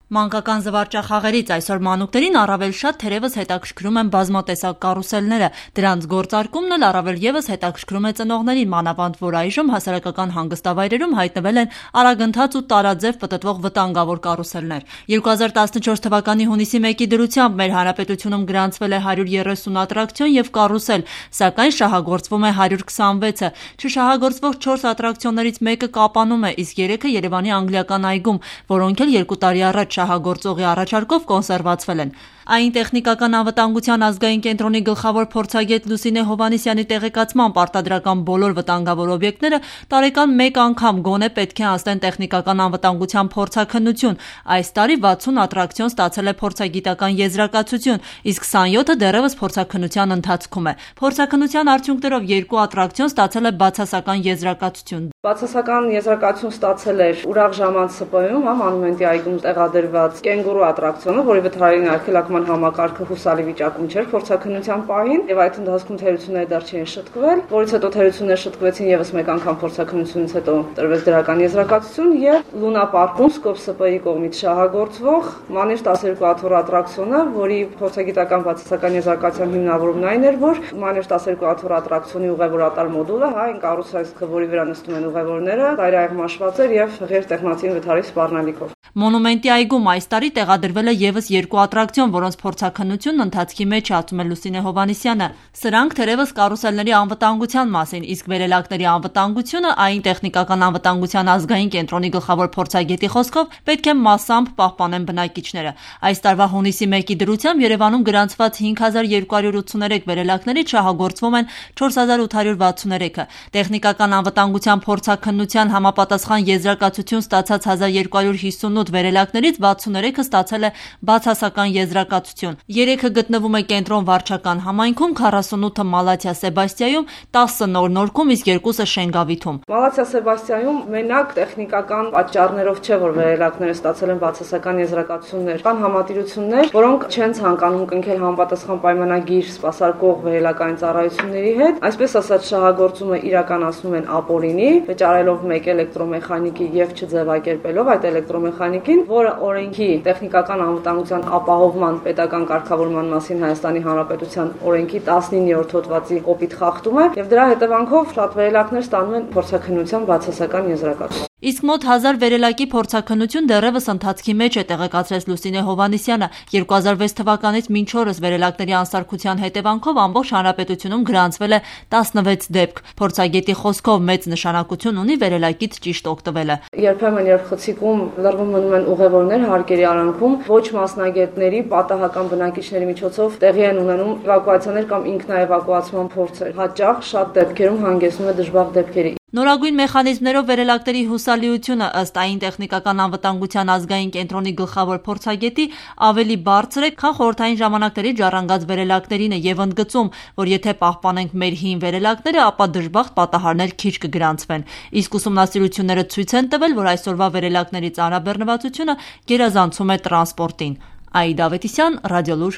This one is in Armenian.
Մանկական զվարճախաղերից այսօր մանուկներին առավել շատ թերևս հետաքրքրում են բազմատեսակ կարուսելները, դրանց գործարկումն էլ առավել ևս հետաքրքրում է ծնողներին, մանավանդ որ այժմ հասարակական հանգստավայրերում հայտնվել են արագընթաց ու տարաձև պտտվող վտանգավոր կարուսելներ։ 2014 թվականի հունիսի 1-ի դրությամբ մեր հանրապետությունում գրանցվել է 130 ատրակցիոն եւ կարուսել, սակայն շահագործվում է 126-ը։ Չշահագործվող 4 ատրակցիոններից մեկը Կապանում է, իսկ 3-ը Երևանի անգլիական այգում, որոնք էլ 2 տարի առաջ շահագործողի առաջարկով կոնսերվացվել են։ Այն տեխնիկական անվտանգության ազգային կենտրոնի գլխավոր փորձագետ Լուսինե Հովհաննիսյանի տեղեկացմամբ արտադրական բոլոր վտանգավոր օբյեկտները տարեկան մեկ անգամ գոնե պետք է անցնեն տեխնիկական անվտանգության փորձաքննություն։ Այս տարի 60 ատրակցիոն ստացել է փորձագիտական եզրակացություն, իսկ 27-ը դեռևս փորձաքննության ընթացքում է։ Փորձաքննության արդյունքներով 2 ատրակցիոն ստացել է բացասական եզրակացություն։ Բացասական եզրակացություն ստացել էր Ուրախ ժամանց ՍՊԸ-ում, Մոնումենտի այգում տեղադրված կենգուրու ատրակցիոնը, որի վթարային արգելակման համակարգը հուսալի վիճակում չէր փորձաքննության պահին, եւ այդ ընթացքում թերությունները դեռ չէին շտկվել, որից հետո թերությունները շտկվեցին եւս մեկ անգամ փորձաքննությունից հետո տրվեց դրական եզրակացություն եւ Լունա պարկում Սկոպ ՍՊԸ-ի կողմից շահագործվող Մանեժ 12 աթոռ ատրակցիոնը, որի փորձագիտական բացասական եզրակացության հիմնավորումն այն էր, որ Մանեժ 12 աթոռ ատրակցիոնի ուղևորատար մոդուլը, այն կարուսելքը, որի վրա նստում են ուղևորները, ծայրահեղմաշված էր եւ ղեր տեխնացին վթարի սպառնալիքով։ Մոնումենտի այգում այս տարի տեղադրվել է եւս 2 ատրակցիոն, որոնց փորձաքննությունն ընթացքի մեջ է, ասում է Լուսինե Հովհաննիսյանը։ Սրանք թերևս կարուսելների անվտանգության մասին, իսկ վերելակների անվտանգությունը այն տեխնիկական անվտանգության ազգային կենտրոնի գլխավոր փորձագետի խոսքով պետք է մասամբ պահպանեն բնակիչները։ Այս տարվա հունիսի 1-ի դրությամբ Երևանում գրանցված 5283 վերելակներից շահագործվում են 4863-ը։ Տեխնիկական անվտանգության փորձաքննության համապատասխան եզրակացություն ստացած 1258 վերելակներից 63-ը ստացել է բացասական եզրակացություն։ 3-ը գտնվում է Կենտրոն վարչական համայնքում, 48-ը Մալաթիա Սեբաստիայում, 10-ը Նոր Նորքում, իսկ 2-ը Շենգավիթում։ Մալաթիա Սեբաստիայում մենակ տեխնիկական պատճառներով չէ, որ վերելակները ստացել են բացասական եզրակացություններ, կան համատիրություններ, որոնք չեն ցանկանում կնքել համապատասխան պայմանագիր սպասարկող վերելակային ծառայությունների հետ, այսպես ասած շահագործումը իրականացնում են ապօրինի, վճարելով մեկ էլեկտրոմեխանիկի եւ չձևակերպելով այդ էլեկտրոմեխանիկին, որը օրենքի տեխնիկական անվտանգության ապահովման պետական կարգավորման մասին Հայաստանի Հանրապետության օրենքի 19-րդ հոդվածի կոպիտ խախտում է եւ դրա հետևանքով շատ վերելակներ ստանում են փորձաքննության բացասական եզրակացություն։ Իսկ մոտ 1000 վերելակի փորձաքննություն դեռևս ընթացքի մեջ է, տեղեկացրեց Լուսինե Հովհաննիսյանը։ 2006 թվականից մինչ օրս վերելակների անսարքության հետևանքով ամբողջ հանրապետությունում գրանցվել է 16 դեպք։ Փորձագետի խոսքով մեծ նշանակություն ունի վերելակից ճիշտ օգտվելը։ Երբեմն երբ խցիկում լռվում մնում են ուղևորներ հարկերի արանքում, ոչ մասնագետների պատահական բնակիչների միջոցով տեղի են ունենում էվակուացիաներ կամ ինքնաէվակուացման փորձեր։ Հաճախ շատ դեպքերում հանգեցնում է դժբախտ դեպքերի։ Նորագույն մեխանիզմներով վերելակների հուսալիությունը ըստ այն տեխնիկական անվտանգության ազգային կենտրոնի գլխավոր փորձագետի ավելի բարձր է, քան խորհրդային ժամանակների ժառանգած վերելակներինը եւ ընդգծում, որ եթե պահպանենք մեր հին վերելակները, ապա դժբախտ պատահարներ քիչ կգրանցվեն։ Իսկ ուսումնասիրությունները ցույց են տվել, որ այսօրվա վերելակների ծանրաբեռնվածությունը գերազանցում է տրանսպորտին։ Աիդա Ավետիսյան, Ռադիոլուր։